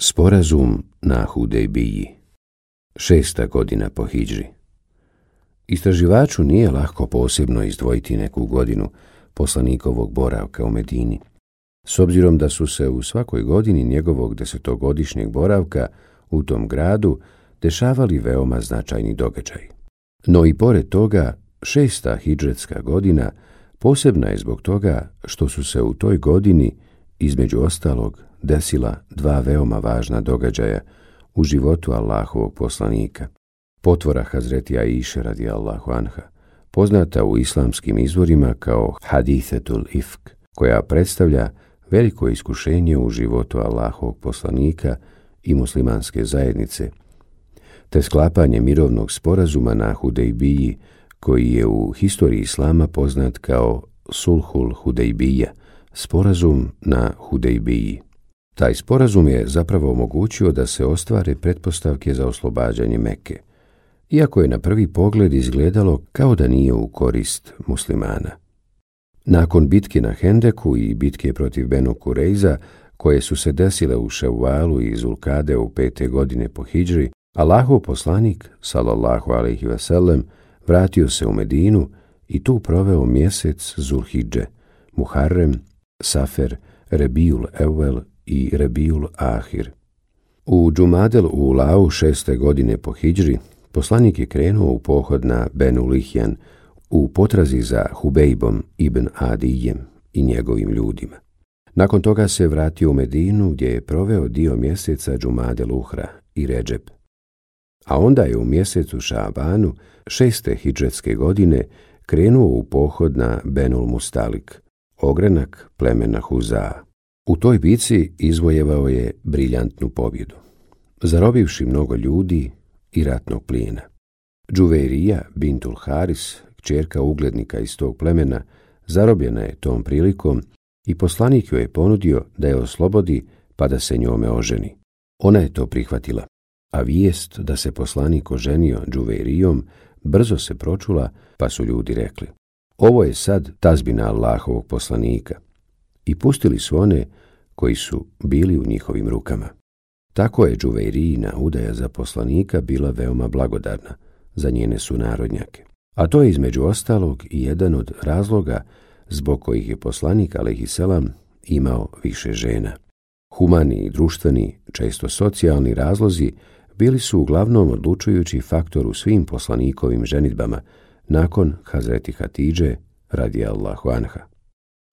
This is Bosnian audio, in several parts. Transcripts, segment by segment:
Sporazum na Hudejbiji. 6. godina po hidžri. Istraživaču nije lako posebno izdvojiti neku godinu poslanikovog boravka u Medini, s obzirom da su se u svakoj godini njegovog 10-godišnjeg boravka u tom gradu dešavali veoma značajni događaji. No i pored toga, 6. hidžretska godina posebna je zbog toga što su se u toj godini, između ostalog, desila dva veoma važna događaja u životu Allahovog poslanika. Potvora Hazreti Aiše radijallahu anha, poznata u islamskim izvorima kao Hadithetul Ifk, koja predstavlja veliko iskušenje u životu Allahovog poslanika i muslimanske zajednice, te sklapanje mirovnog sporazuma na Hudejbiji, koji je u historiji islama poznat kao Sulhul Hudejbija, sporazum na Hudejbiji. Taj sporazum je zapravo omogućio da se ostvare pretpostavke za oslobađanje Mekke, iako je na prvi pogled izgledalo kao da nije u korist muslimana. Nakon bitke na Hendeku i bitke protiv Benu Kurejza, koje su se desile u Ševvalu i Zulkade u 5. godine po hidžri, Allahov poslanik, sallallahu alejhi ve sellem, vratio se u Medinu i tu proveo mjesec Zulhidže, Muharrem, Safer, Rebiul Evvel i Rebiul Ahir. U Džumadel Ulau 6. godine po hidžri poslanik je krenuo u pohod na Benu Lihjan u potrazi za Hubejbom ibn Adijem i njegovim ljudima. Nakon toga se vratio u Medinu gdje je proveo dio mjeseca Džumadel Uhra i Redžep. A onda je u mjesecu Šabanu 6. hidžretske godine krenuo u pohod na Benul Mustalik, ogranak plemena Huzaa. U toj bici izvojevao je briljantnu pobjedu, zarobivši mnogo ljudi i ratnog plijena. Džuveirija bintul Haris, kćerka uglednika iz tog plemena, zarobljena je tom prilikom i poslanik joj je ponudio da je oslobodi pa da se njome oženi. Ona je to prihvatila, a vijest da se poslanik oženio Džuveirijom brzo se pročula, pa su ljudi rekli: ovo je sad tazbina Allahovog poslanika, i pustili su one koji su bili u njihovim rukama. Tako je Džuveirijina udaja za poslanika bila veoma blagodarna za njene sunarodnjake, a to je između ostalog i jedan od razloga zbog kojih je poslanik alejhiselam imao više žena. Humani i društveni, često socijalni razlozi bili su uglavnom odlučujući faktor u svim poslanikovim ženidbama nakon Hazreti Hatidže radijallahu anha.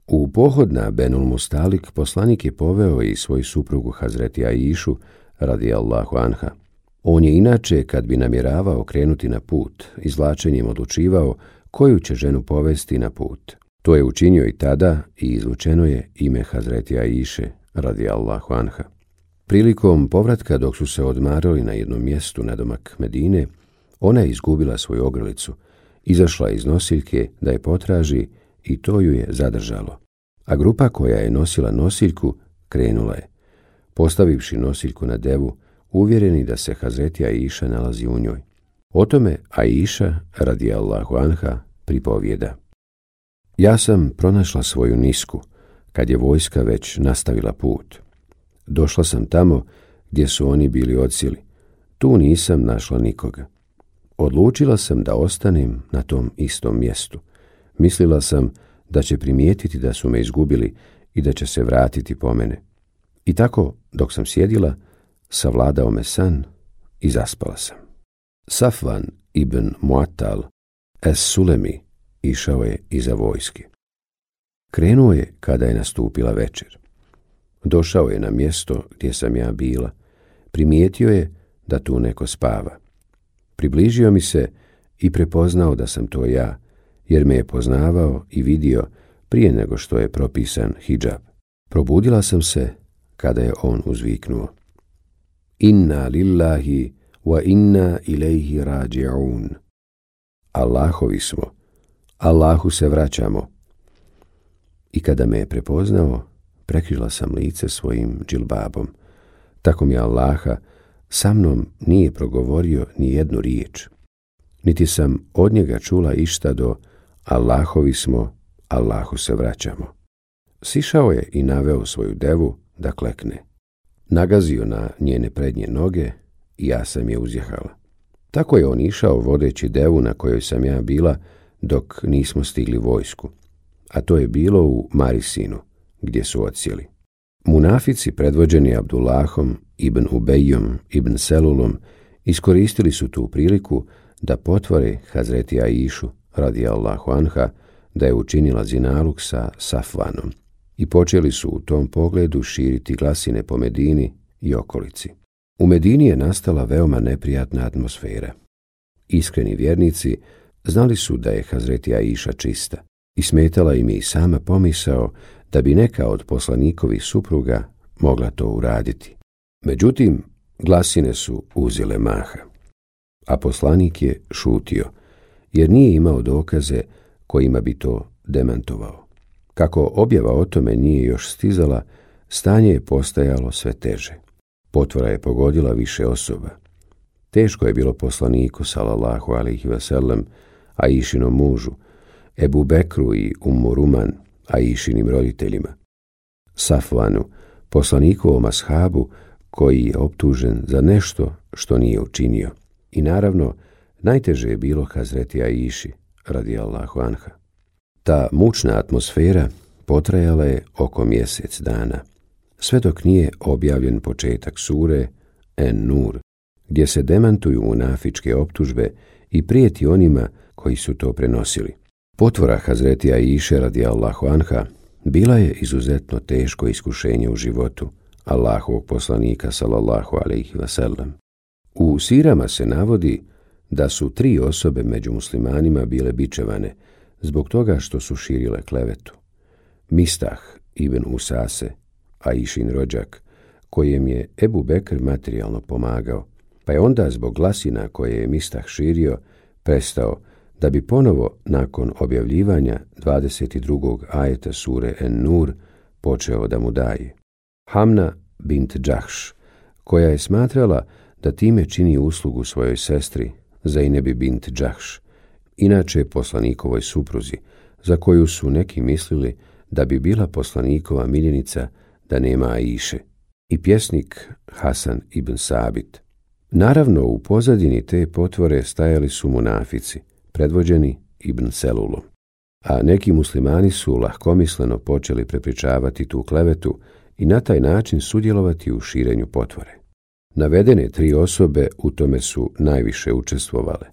U pohod na Benul Mustalik poslanik je poveo i svoju suprugu Hazreti Aišu radijallahu anha. On je inače, kad bi namjeravao krenuti na put, izvlačenjem odlučivao koju će ženu povesti na put. To je učinio i tada i izvučeno je ime Hazreti Aiše radijallahu anha. Prilikom povratka, dok su se odmarali na jednom mjestu nadomak Medine, ona je izgubila svoju ogrlicu, izašla iz nosiljke da je potraži i to ju je zadržalo. A grupa koja je nosila nosiljku krenula je, postavivši nosiljku na devu, uvjereni da se Hazreti Aiša nalazi u njoj. O tome Aiša radijallahu anha pripovijeda: ja sam pronašla svoju nisku kad je vojska već nastavila put. Došla sam tamo gdje su oni bili odsjeli. Tu nisam našla nikoga. Odlučila sam da ostanem na tom istom mjestu. Mislila sam da će primijetiti da su me izgubili i da će se vratiti po mene. I tako, dok sam sjedila, savladao me san i zaspala sam. Safvan ibn Muattal es-Sulemi išao je iza vojske. Krenuo je kada je nastupila večer. Došao je na mjesto gdje sam ja bila. Primijetio je da tu neko spava. Približio mi se i prepoznao da sam to ja, jer me je poznavao i vidio prije nego što je propisan hidžab. Probudila sam se kada je on uzviknuo: inna lillahi wa inna ilaihi rađi'un. Allahovi smo, Allahu se vraćamo. I kada me je prepoznao, prekrila sam lice svojim džilbabom. Tako mi Allaha, sa mnom nije progovorio ni jednu riječ, niti sam od njega čula išta do Allahovi smo, Allahu se vraćamo. Sišao je i naveo svoju devu da klekne. nagazio na njene prednje noge i ja sam je uzjehala. Tako je on išao vodeći devu na kojoj sam ja bila dok nismo stigli vojsku, a to je bilo u Marisinu, gdje su odsjeli. Munafici predvođeni Abdullahom ibn Ubejom ibn Selulom iskoristili su tu priliku da potvore Hazreti Aišu radijallahu anha da je učinila zinaluk sa Safvanom i počeli su u tom pogledu širiti glasine po Medini i okolici. U Medini je nastala veoma neprijatna atmosfera. Iskreni vjernici znali su da je Hazreti Aiša čista i smetala im je i sama pomisao da bi neka od poslanikovih supruga mogla to uraditi. Međutim, glasine su uzele maha, a poslanik je šutio, jer nije imao dokaze kojima bi to demantovao. Kako objava o tome nije još stizala, stanje je postajalo sve teže. Potvora je pogodila više osoba. Teško je bilo poslaniku, sallallahu alejhi ve sellem, Aišinom mužu, Ebu Bekru i Ummu Ruman, Aišinim roditeljima, Safvanu, poslanikovom ashabu koji je optužen za nešto što nije učinio. I naravno, najteže je bilo Hazreti Aiši, radijallahu anha. Ta mučna atmosfera potrajala je oko mjesec dana, sve dok nije objavljen početak sure En-Nur, gdje se demantuju munafičke optužbe i prijeti onima koji su to prenosili. Potvora Hazreti Aiše radijallahu anha bila je izuzetno teško iskušenje u životu Allahovog poslanika sallallahu alejhi ve sellem. U sirama se navodi da su 3 osobe među muslimanima bile bičevane zbog toga što su širile klevetu. Mistah ibn Usase, Aišin rođak, kojem je Ebu Bekr materijalno pomagao, pa je onda zbog glasina koje je Mistah širio prestao, da bi ponovo nakon objavljivanja 22. ajeta sure En-Nur počeo da mu daje. Hamna bint Džahš, koja je smatrala da time čini uslugu svojoj sestri Zejnebi bint Džahš, inače poslanikovoj supruzi, za koju su neki mislili da bi bila poslanikova miljenica da nema Aiše, i pjesnik Hasan ibn Sabit. Naravno, u pozadini te potvore stajali su munafici, predvođeni Ibn Selulom, a neki muslimani su lahkomisleno počeli prepričavati tu klevetu i na taj način sudjelovati u širenju potvore. Navedene 3 osobe u tome su najviše učestvovale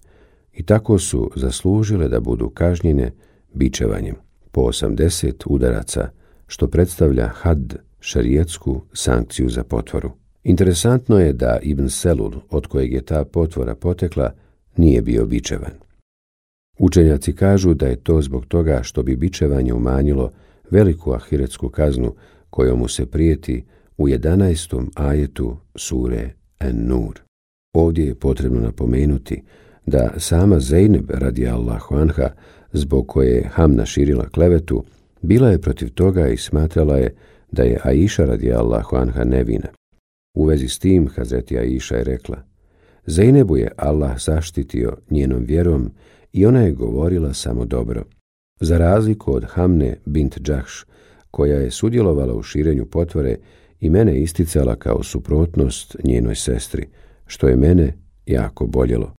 i tako su zaslužile da budu kažnjene bičevanjem po 80 udaraca, što predstavlja had, šerijetsku sankciju za potvoru. Interesantno je da Ibn Selul, od kojeg je ta potvora potekla, nije bio bičevan. Učenjaci kažu da je to zbog toga što bi bičevanje umanjilo veliku ahiretsku kaznu kojom mu se prijeti u 11. ajetu sure En-Nur. Ovdje je potrebno napomenuti da sama Zejneb radijallahu anha, zbog koje je Hamna širila klevetu, bila je protiv toga i smatrala je da je Aiša radijallahu anha nevina. U vezi s tim Hazreti Aiša je rekla: Zejnebu je Allah zaštitio njenom vjerom i ona je govorila samo dobro, za razliku od Hamne bint Džahš, koja je sudjelovala u širenju potvore i mene isticala kao suprotnost njenoj sestri, što je mene jako boljelo.